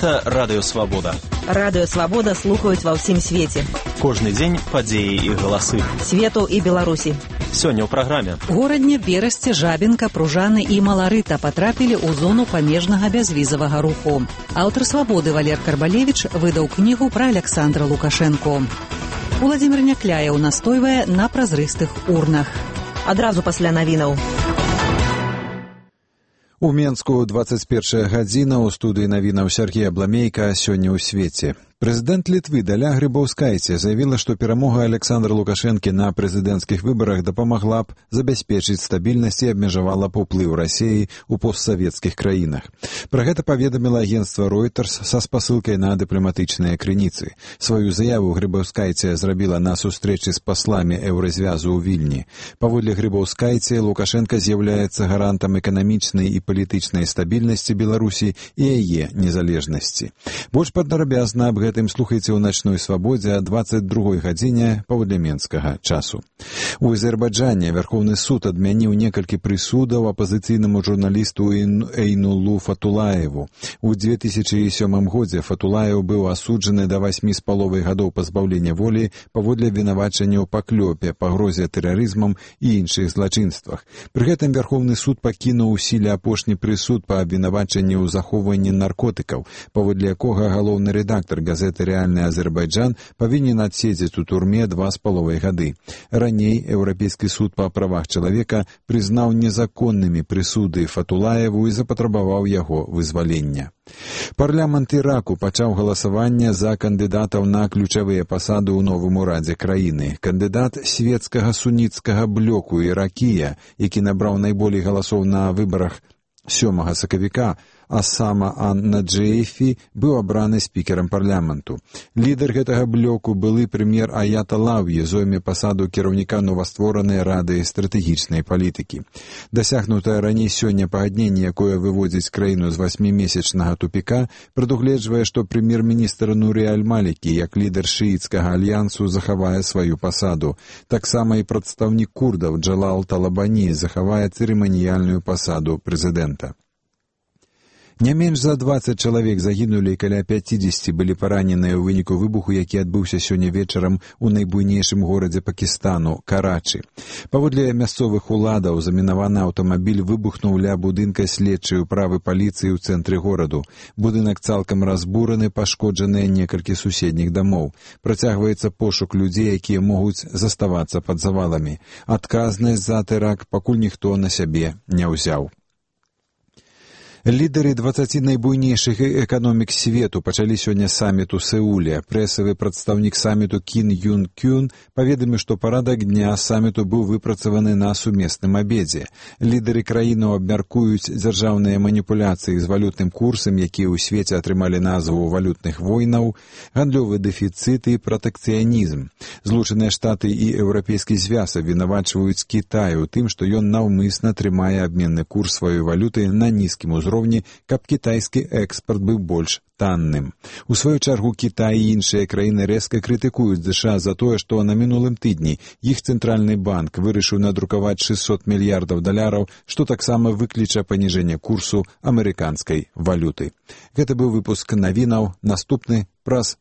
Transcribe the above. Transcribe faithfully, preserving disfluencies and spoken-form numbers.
Гэта Радыё Свабода. Радыё Свабода слухаюць ва ўсім свеце. Кожны дзень падзеі і галасы. Свету і Беларусі. Сёння ў праграме. Горадне, Берасце, Жабінка, Пружаны і Маларыта патрапілі ў зону памежнага бязвізавага руху. Аўтар Свабоды Валер Карбалевіч выдаў кнігу пра Аляксандра Лукашэнку. Уладзімір Някляеў настойвае на празрыстых урнах. Адразу пасля навінаў. У Менску дваццаць першая гадзіна, у студыі навінаў Сергей Абламейка, сёння ў свеце. Прэзідэнт Літвы Даля Грыбаўскайце заявіла, што перамога Аляксандра Лукашэнкі на прэзідэнцкіх выбарах дапамагла б забяспечыць стабільнасць і абмежавала б уплыў Расіі ў постсавецкіх краінах. Пра гэта паведаміла агенцтва Reuters са спасылкай на дыпламатычныя крыніцы. Сваю заяву Грыбаўскайце зрабіла на сустрэчы з пасламі еўразвязу ў Вільні. Паводле Грыбаўскайце, Лукашэнка з'яўляецца гарантам эканамічнай і палітычнай стабільнасці Беларусі і яе незалежнасці. Больш падрабязна аб гэтым слухайце ў начной свабодзе о дваццаць другой гадзіне паводле менскага часу. У Азербайджане Вярхоўны суд адмяніў некалькі прысудаў апазіцыйнаму журналісту Эйнулу Фатулаеву. У две тысячы сёмым годзе Фатулаев быў асуджаны да васьмі з паловай гадоў пазбаўлення волі паводле абвінавачання ў паклёпе, пагрозе тэрарызмам і іншых злачынствах. Пры гэтым Вярхоўны суд пакінуў у сіле апошні прысуд па абвінавачанні ў захоўванні наркотыкаў, паводле якога галоўны рэдактар газеты «Рэальны Азербайджан» павінен адседзець у турме два з паловай гады. Раней Еўрапейскі суд па правах чалавека прызнаў незаконнымі прысуды Фатулаеву і запатрабаваў яго вызвалення. Парламент Іраку пачаў галасаванне за кандыдатаў на ключавыя пасады ў новым урадзе краіны. Кандыдат светскага суніцкага блоку Іракія, які набраў найболей галасоў на выбарах сёмага сакавіка, Асама Ан-Наджэйфі быў абраны спікерам парламенту. Лідар гэтага блоку, былы прэм'ер Аят Алаўі, зойме пасаду кіраўніка новастворанай рады стратэгічнай палітыкі. Дасягнутае раней сёння пагадненне, якое выводзіць краіну з васьмімесячнага тупіка, прадугледжвае, што прэм'ер-міністр Нурі Аль-Малікі, як лідар шыіцкага альянсу, захавае сваю пасаду. Таксама і прадстаўнік курдаў Джалал Талабані захавае цырыманіяльную пасаду прэзідэнта. Не менш за дваццаць чалавек загінулі і каля пяцідзесяці былі параненыя ў выніку выбуху, які адбыўся сёння вечарам у найбуйнейшым горадзе Пакістану – Карачы. Паводле мясцовых уладаў, замінаваны аўтамабіль выбухнуў ля будынка следчай управы паліцыі ў цэнтры гораду. Будынак цалкам разбураны, пашкоджаныя некалькі суседніх дамоў. Працягваецца пошук людзей, якія могуць заставацца пад заваламі. Адказнасць за тэракт пакуль ніхто на сябе не ўзяў. Лідары дваццаці найбуйнейшых эканомік свету пачалі сёння саміт у Сеуле. Прэсавы прадстаўнік саміту Кін Юн Кюн паведаміў, што парадак дня саміту быў выпрацаваны на сумесным абедзе. Лідары краінаў абмяркуюць дзяржаўныя маніпуляцыі з валютным курсам, якія ў свеце атрымалі назву валютных войнаў, гандлёвы дэфіцыт і пратэкцыянізм. Злучаныя Штаты і Еўрапейскі звяз абвінавачваюць Кітай у тым, што ён наўмысна трымае абменны курс сваёй валюты на нізкім узроўні, каб кітайскі экспарт быў больш танным. У сваю чаргу Кітай і іншыя краіны рэзка крытыкуюць ЗША за тое, што на мінулым тыдні іх цэнтральны банк вырашыў надрукаваць шэсцьсот мільярдаў даляраў, што таксама выкліча паніжэнне курсу амерыканскай валюты. Гэта быў выпуск навінаў, наступны праз